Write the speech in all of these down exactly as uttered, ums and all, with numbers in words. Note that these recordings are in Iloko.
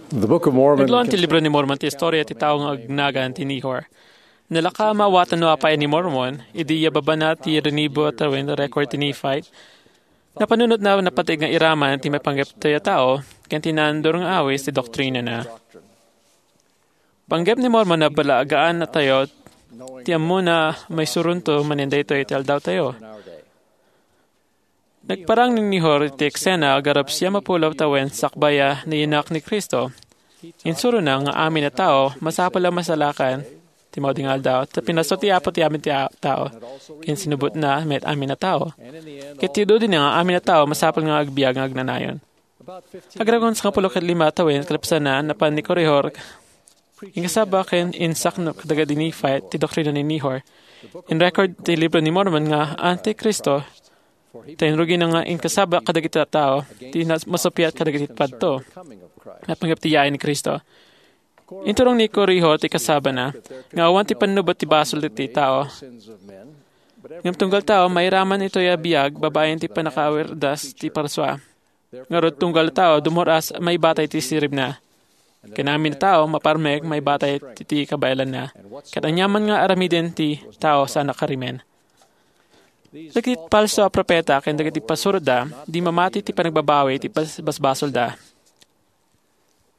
The Book of Mormon Naglaon ti Libro ni Mormon ti istorya ti tao nga agnagan ti Nehor. Nalaka a maawatan no apay ni Mormon, idi iyababana ti rinibo a tawen record ti Nephite. Napanunotna a napateg nga iraman ti maipanggep tayo a tao, ken ti naandur nga awis ti doktrinana. Panggep ni Mormon a balagaan a tayo ti ammona a maisuronto manen daytoy iti aldaw tayo. Nagparang ni Nehor iti eksena garup siam a puluw tawen sakbay a nayanak ni Cristo. Insurona nga amin a tao masapul a masalakan ti maudi nga aldaw, ta pinasno ti Apo ti amin ti a-, tao, ken sinubotna met amin a tao. Ket ti dudina nga amin a tao masapul nga agbiag nga agnanayon. Agragon sangapulo ket lima tawen kalpasanna, napan ni Korihor inkasaba ken insaknop kadagiti Nephite ti doktrina ni Nehor. In-record ti Libro ni Mormon nga Antikristo, ta inrugina nga inkasaba kadagiti tattao ti nas-, masuppiat kadagiti padto. Napanggep ti yaay ni Cristo. Inturong ni Korihor ti kasabana nga awan ti pannubot ti basol ti tao. Ngem tunggal tao, mairaman itoy a biag babaen ti pannakaawirdas ti parsua. Ngarud, tunggal tao, dumur-as maibatay ti siribna. Ken amin a tao, maparmek maibatay ti, ti kabaelanna. Ket aniaman nga aramiden ti tao saan a karimen. Dagiti falso a propeta ken dagiti pasurotda, di mamati ti panagbabawi ti bas-, basbasolda.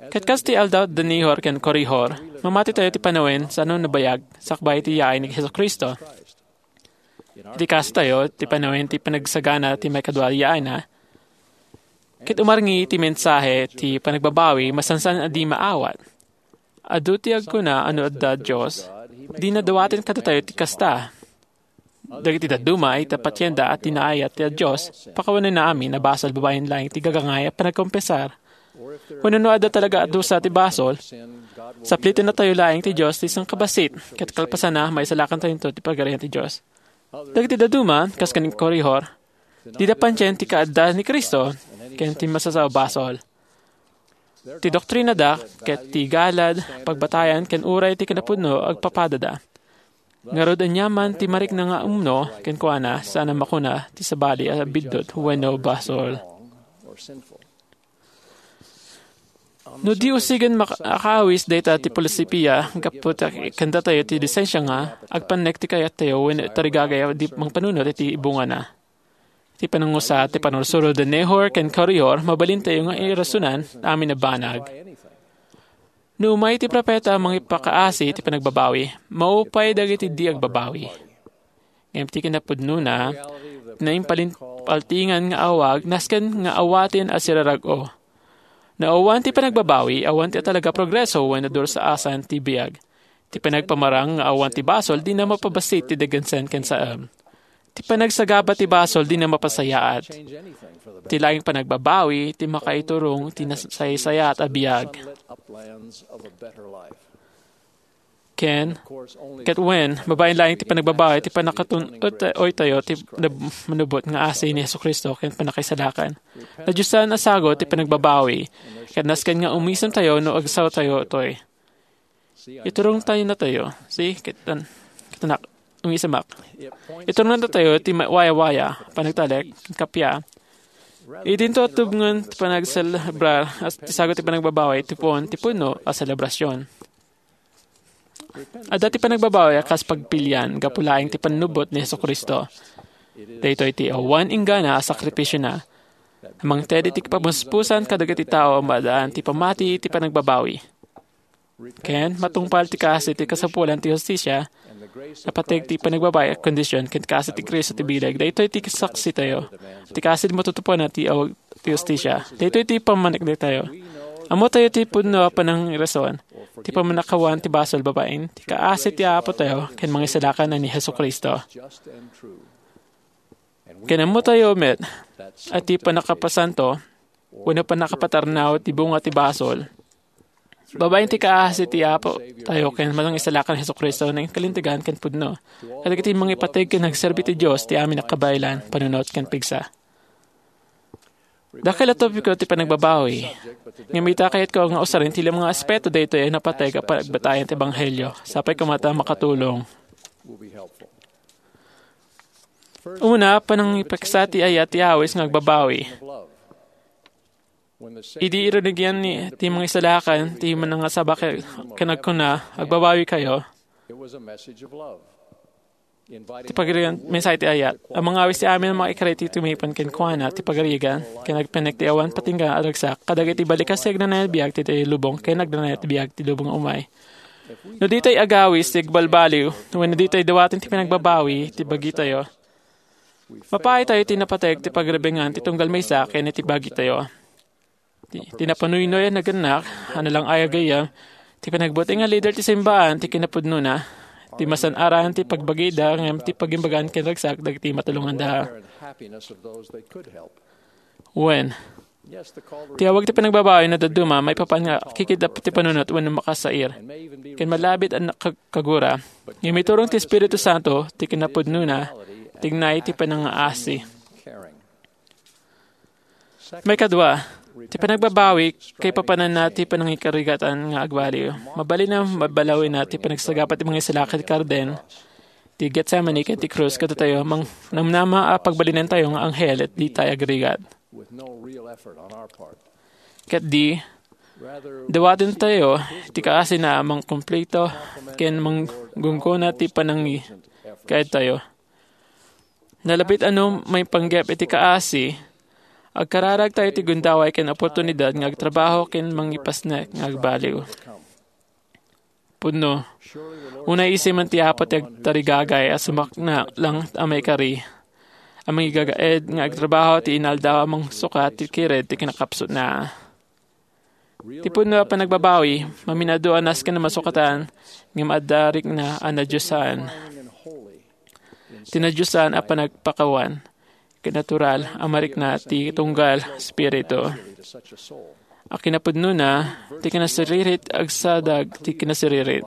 Ket kas ti aldaw da Nehor ken Korihor, mamati tayo ti panawen saan a nabayag sakbay ti yaay ni Jesu-Cristo. Iti kaso tayo, ti panawen ti panagsagana ti maikadua a yaayna, ket umarngi ti mensahe ti panagbabawi, masansan a di maawat. Adu ti agkuna a no adda Dios, dina dawaten kadatayo ti kasta. Dagiti dadduma, ita patienda a ti naayat ti Dios, pakawanenna amin a basol babaen laeng ti gagangay a panagkonfesar. Wenno no adda talaga a dusa ti basol, saplitennatayo laeng ti Dios ti sangkabassit, ket kalpasanna, maisalakantayo ti Pagarian ti Dios. Dagiti dadduma, kas ken Korihor, dida pantien ti kaadda ni Cristo ken ti masasao a basol. Ti doktrinada ket ti galad, pagbatayan ken uray ti kinapudno agpapadada. Ngarud, aniaman ti marikna nga umno kenkuana, saan a makuna ti sabali a biddut wenno basol. No di usigen mak-, akaawis dayta ti filosofia, gapu ta kandatayo ti lisensia nga agpannek ti kayattayo wenno tarigagay a di mangpanunot iti bungana. Ti panangusa, ti panursurod da Nehor ken Korihor, mabalintayo nga irasonan amin a banag. No umay ti propeta a mangipakaasi ti panagbabawi, maupay dagiti di agbabawi. Ngem ti kinapudnona, naimpalin-, paltingan nga awag, nasken nga awaten a sirarag-o. No awan ti panagbabawi, awan ti talaga progreso wenno dursaasan ti biag. Ti panagpamarang nga awan ti basol, dina mapabassit ti dagansen ken saem. Ti panagsagaba ti basol, dina mapasayaat. Ti laeng panagbabawi, ti makaiturong ti nasaysayaat a biag. Ken, ket wen, babaen laeng ti panagbabawi, ti pannakatun-, ut-, oytayo, ti nab-, manubot nga asi ni Jesu-Cristo, ken pannakaisalakan. Nadiosan a sagut ti panagbabawi, ket nasken nga umisemtayo no agsawtayo toy. Iturong tayo natayo. See, kitan, kitanak, umisemak. Iturong natayo ti ma-, waya-waya, panagtalek, kappia. Idinto tubngen ti panagselebrar, as ti sagut ti panagbabawi, ti puon, ti puno a selebrasyon. Adda ti panagbabawi a kas pagpilian gapu laeng ti pannubot ni Jesu-Cristo. Daytoy ti awan inggana a sakripisiona. Mangted iti kapamuspusan kadagiti tao a maadaan ti pamati iti panagbabawi. Ken, matungpal ti kaasi ti kasapulan ti hustisia, napateg ti panagbabawi a kondisyon ken kaasi ti Cristo ti bileg. Daytoy ti saksitayo. Ti kaasi ti matutupanan ti awag ti hustisia. Daytoy ti pammanik daytayo. Ammotayo ti pudno a panangirason, ti pammanakawan ti basol babaen ti kaasi ti Apo tayo ken mangisalakan a ni Jesu-Cristo. Ken ammotayo met a ti pannakapasanto wenno pannakapatarnaw ti bunga ti basol babaen ti kaasi ti Apo tayo ken mangisalakan ni Jesu-Cristo nga kalintegan ken pudno. Kadagiti mangipateg ken agserbi ti Dios ti amin a kabaelan, panunot ken pigsa. Dakkel a topiko ti panagbabawi. Ngem ita, kayatko nga usaren ti lima nga aspeto daytoy a napateg a pagbatayan ti ebanghelio. Sapay koma ta makatulong. Una, panangipeksa ti ayat ti awis nga agbabawi. Idi irunigian ni, ti mangisalakan, ti manangasaba ken, ken agkuna, "Agbabawikayo." It was a message of love. Ti pagirigan, mensahe ti ayat. Ang mga awis ti amin a makaikari ti tumipon kenkuana, ti pagirigan, ken agpanek ti awan patingga a ragsak, kadagiti balikas ti agnanayon biag ti, ti lubong, ken agnanayon biag ti lubong umay. No ditay agawis ti agbalbaliw, wenno ditay dawaten ti panagbabawi ti bagitayo, mapaitayo ti napateg ti pagrebengan ti tunggal maysa ken iti bagitayo. Ti, ti napanuynoy a nagannak, a nalang-ay a gayyem, ti panagbuteng a lider ti simbaan ti kinapudnona, ti masan-aran ti pagbagida ngem ti pagimbagan ken ragsak dagiti matulonganda. Wen, ti awag ti panagbabawi no dadduma maipapan nga kikidap ti panunot wenno makasair. Ken malabit a nakag-, kagura. Ngem iturong ti Espiritu Santo ti kinapudnona, tignay ti panangaasi. Maikadua, ti panagbabawi, kaipapananna ti panangikarigatan nga agbaliw. Mabalin a mabalawina ti panagsagaba ti mangisalakan ti karden, ti Getsemani ken ti krus kadatayo, mang-, namnama a pagbalinentayo nga anghel et ditay agrigat. Ket di, dawaten tayo ti kaasina a mangkumplito ken manggunggona ti panangi-, kaedtayo. Nalabit a no maipanggep iti kaasi, agkararag tayo ti gundaway ken oportunidad nga agtrabaho ken mangipasnek nga agbaliw. Pudno, unay isimen ti Apo ti agtarigagay a sumakna lang a maikari, a mangigagaed nga agtrabaho ti inaldaw a mangsukat ti kired ti kinakapsutna. Ti pudno a panagbabawi, maminado a nasken a masukatan, ngem adda rikna a nadiosan. Ti nadiosan a panagpakawan, ket natural a marikna ti tunggal espiritu. A kinapudnona, ti kinasiririt agsadag ti kinasiririt.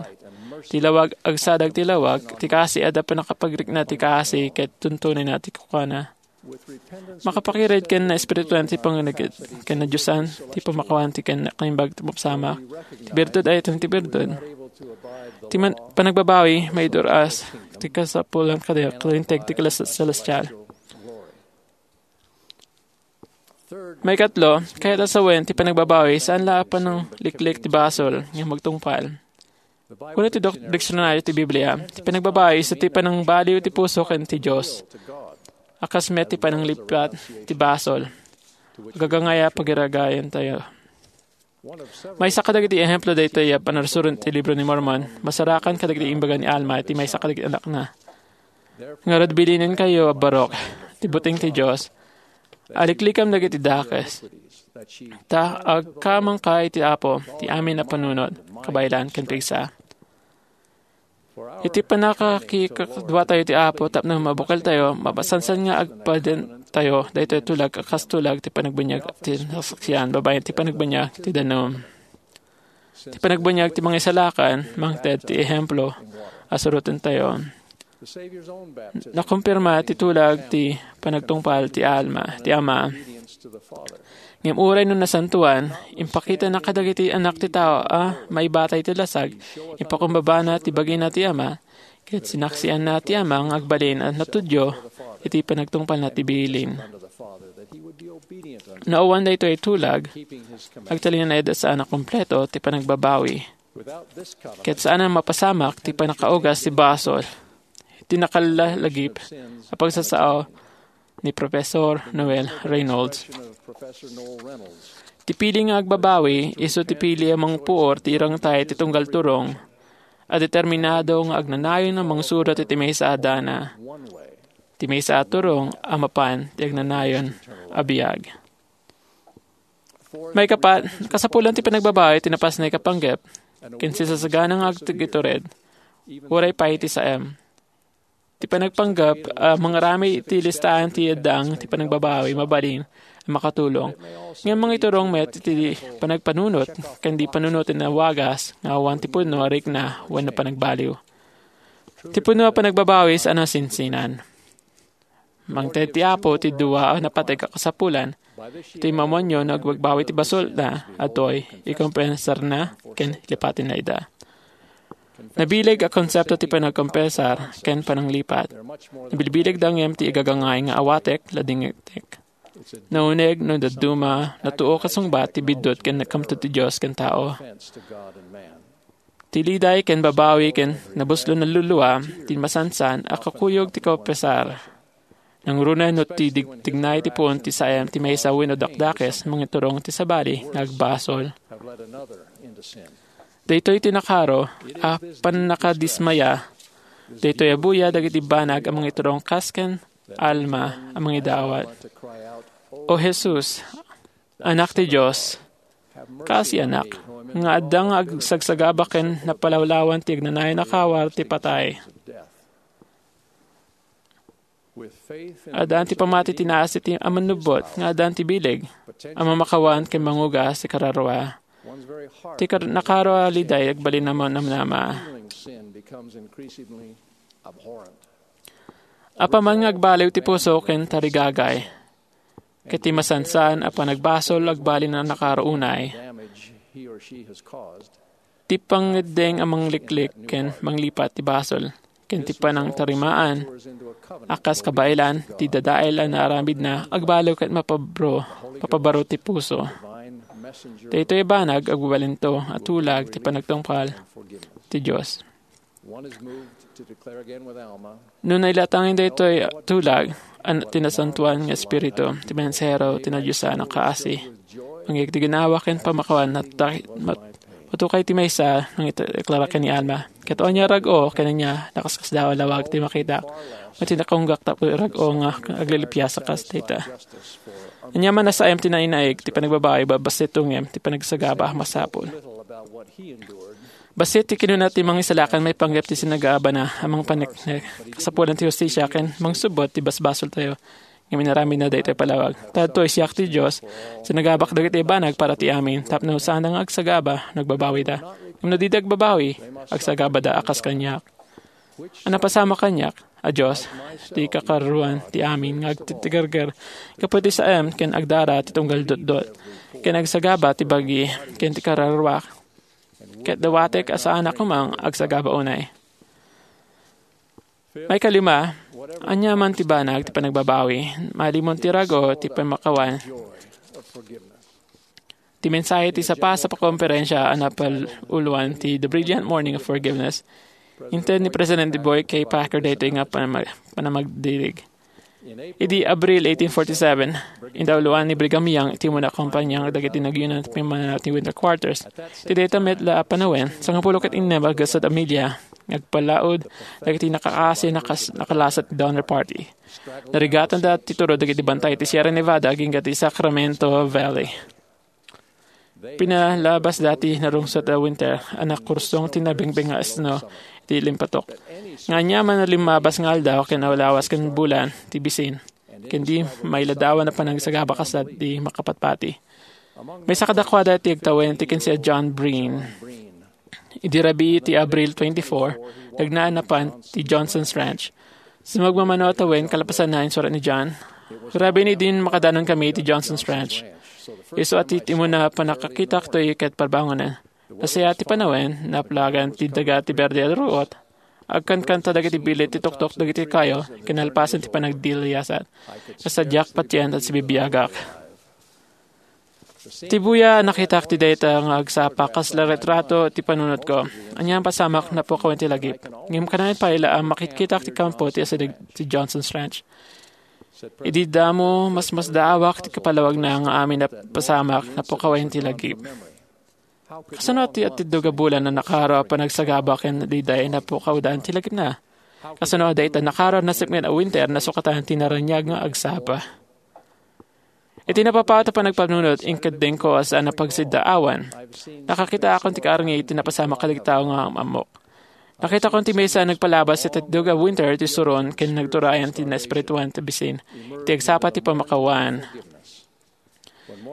Ti lawag agsadag ti lawag, ti kaasi adda pannakapagrikna ti kaasi ket tuntunenna ti kukana. Makapakired ken naespirituan ti pangnanaget, ken nadiosan ti pamakawan ti ken naimbag ti mapsamak. Ti birtud ay itan ti birtud. Ti man-, panagbabawi, maidur-as ti kasapulan kadagiti kalinteg ti keles-, celestial. Maikatlo, kayat a sawen ti panagbabawi, saan la a panangliklik ti basol nga magtungpal. Kuna ti dok-, diksionaryo ti Biblia, ti panagbabawi isu ti panangbaliw ti puso ken ti Dios. A kas met ti pananglipat ti basol. Agagangay a pagiragayan tayo. Maysa kadagiti ehemplo daytoy a panarsuron ti Libro ni Mormon, masarakan kadagiti imbaga ni Alma iti maysa kadagiti anakna. Ngarud, bilinenkayo a barok ti buteng ti Dios. Aliklikam dagiti dakes. Ta agkamangka iti Apo ti amin a panunot, kabaelan ken pigsa. Iti pannakakikadua tayo ti Apo tapno mabukel tayo, mapasansan nga agpaden tayo daytoy tulag a kas tulag ti panagbinyag ti nasaksian babaen ti panagbinyag ti danum. Ti panagbinyag ti mangisalakan, mangted ti ehemplo a suroten tayo. Nakumpirma ti tulag ti panagtungpal ti Alma, ti Ama. Ngem uray no nasantoan, impakitana kadagiti anak ti tao a maibatay ti lasag, ipakumbabana ti bagina ti Ama, ket sinaksianna ti Ama nga agbalin a natudyo iti panagtungpalna ti bilin. No awan daytoy tulag, agtalinaed a saan a kompleto ti panagbabawi. Ket saan a mapasamak ti pannakaugas ti basol. Ti nakallalagip a pagsasao ni Professor Noel Reynolds. Ti pili nga agbabawi, isu ti pili a mangpuor ti irangtay ti tunggal turong a determinado nga agnanayon a mangsurot iti maysa a dana, ti maysa a turong a mapan ti agnanayon a biag. Maikapat, kasapulan ti panagbabawi ti napasnek a panggep ken sisasagana nga agtugitured, uray pay ti saem. Ti panagpanggep a mangaramid iti listaan ti addang ti panagbabawi mabalin a makatulong. Ngem mangiturong met iti panagpanunot ken di panunoten a wagas nga awan ti pudno a rikna wenno panagbaliw. Ti pudno a panagbabawi saan a sinsinan. Mangted ti Apo ti dua a napateg a kasapulan. Iti mamunyo no agbabawi ti basolna, adtoy, ikompensarna ken lipatenna ida. Nabileg a konsepto ti panagkompensar ken pananglipat. Nabilbilegda ngem ti igagangay nga awatek, ladingittek. Nauneg no dadduma, natuo kasungbat ti biddut ken nagkamtod ti Dios ken tao. Ti liday ken babawi ken nabuslo a lulua, ti masansan a kakuyog ti kaupesar. Nangruna no ti dig-, tignay ti puon ti saem ti maysa wenno dakdakes, mangiturong ti sabali nga agbasol. Daytoy ti nakaro a pannakadismaya. Daytoy a buya dagiti banag a mangiturong kas ken Alma a mangidawat. O Jesus, Anak ti Dios, kaasianak, nga adda nga agsagsagaba ken napalawlawan ti agnanayon a kawar ti patay. Addaan ti pamati ti naasi ti a mannubbot nga addaan ti bileg a mamakawan ken mangugas ti kararua. Ti kar-, nakaro a liday agbalin a manamnama. Apaman nga agbaliw ti puso ken tarigagay, ket ti masansan a panagbasol agbalin a nakaro unay. Ti pangngeddeng a mangliklik ken manglipat ti basol, ken ti panangtarimaan a kas kabaelan ti dadael a naaramidna agbaliw ket mapabro-, mapabaro ti puso. Daytoy a banag agbalinto a tulag ti panagtungpal ti Dios. No nailatangen daytoy a tulag, an-, ti Nasantoan nga Espiritu, ti mensahero ti nadiosan a kaasi, mangyeg ti ginawa ken pamakawan, nagta-, mat-, matukay ti maysa, nangideklara ken ni Alma. Ket ania rag-o ken ania, nakaskasdaaw a lawag ti makitak, ket ti nakunggak tapno rag-o nga aglilipias a kas dayta. Ania man a saem ti nainaig, ti panagbabawi, babassit ngem ti panagsagaba a masapul. Bassit ti kinuna ti Mangisalakan maipanggep ti sinagabana a mangpaneknek, kasapulan ti hustisia ken mangsubbot ti basbasoltayo. Ngem inaramidna daytoy a palawag. Ta adtoy, siak ti Dios, sinagabak dagiti banag para ti amin, tapno saanda nga agsagaba no agbabawida. Ngem no dida agbabawi, agsagabada a kas kaniak. A napasamak kaniak, a Dios, ti kakaruan ti amin nga agtitigerger gapu ti saem ken agdara ti tunggal dotdot, ken agsagaba ti bagi ken ti kararuak. Ket dawatek a saanak koma nga agsagaba unay. Maikalima, ania man ti banag ti panagbabawi, malimon ti rago ti pamakawan. Ti mensahe ti sapasapa konferensia a napal-uloan ti The Brilliant Morning of Forgiveness, inted ni Presidente Boyd K. Packer daytoy nga panama-, panamagdirig. Idi Abril eighteen forty-seven, indauloan ni Brigham Young iti umuna a kampanya dagiti nagyunan ti pimmananaw ti Winter Quarters. Iti dayta met la a panawen, sangapulo ket innem a gasat a milya nga agpalaud dagiti nakakaasi a nakas-, nakalasat ti Donner Party. Narigatanda ti turod dagiti bantay ti Sierra Nevada agingga ti Sacramento Valley. Pinalabasda ti narungsot a winter a nakursong ti nabengbeng nga snow iti limpatok. Nga aniaman a limmabas nga aldaw ken awlawas ken bulan ti bisin, ken di mailadawan a panagsagaba kas di makapatpati. Maysa kadakuada ti agtawen ti kinsiad John Breen. Idi rabii ti Abril twenty-four, nagnaan napan ti Johnson's Ranch. Sumagmamano a tawen kalpasan na insurat ni John. Rabii ni din makadanon kami iti Johnson's Ranch. Isu a ti, ti umuna a pannakakitak toy ket parbangonen. Nasayaat ti panawen, naplagan ti daga ti berde a ruot. Agkankanta dagiti bilit ti tuktok dagiti kayo, kinalpasan ti panagdiliyasat. Kasadiak patien ta sibibiagak. Ti buya a nakitak ti dayta nga agsapa kasla retrato ti panunotko. Anian pasamak napukawen ti lagip. Ngem kanayon pay la a makitkitak ti kampo ti asideg ti Johnson's Ranch. Idi damo, masmasdaawak ti kapalawagna nga amin a pasamak napukawen ti lagip. Kasano ti atiddog a bulan a nakaro a panagsagaba ken daydiay napukawdan ti lagipna? Kasano a dayta nakaro a nasipnget a winter nasukatan ti naraniag nga agsapa? Iti napapaut a panagpanunot, inkeddengko a saan a pagsiddaawan. Nakakitaakon ti kaarngi iti napasamak kadagiti tao nga am-ammok. Nakitakon ti maysa a nagpalabas iti atiddog a winter ti suron ken nagturayan ti naespirituan ti bisin iti agsapa ti pamakawan.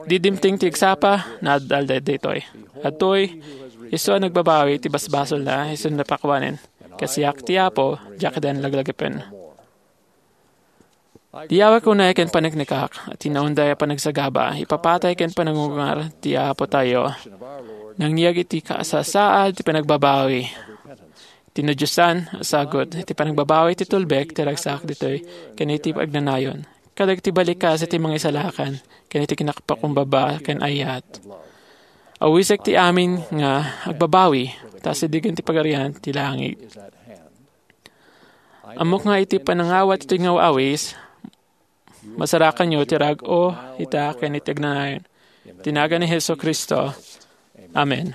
Di dimteng ti agsapa, naad-alda daytoy. Adtoy, isu a nagbabawi ti basbasolna, isu napakuanen. Ket siak ti Apo, diak ida laglagipem. Diyawek unay ken paneknekak, ti naunday a panagsagaba, ipapatay ken panangungar ti Apotayo. Nangyeg iti kasasaad ti panagbabawi. Ti nadiosan a sagut, ti panagbabawi ti tulbek ti ragsak ditoy ken iti agnanayon. kadagiti balikas iti mangisalakan ken iti kinakapakumbaba ken ayat. Awisek ti amin nga agbabawi, ta asidegen ti Pagarian ti langit. Ammok nga iti panangawat iti ngaw-awis, masarakanyo ti rag-o ita ken iti agnanayon. Ti nagan ni Jesu-Cristo. Amen.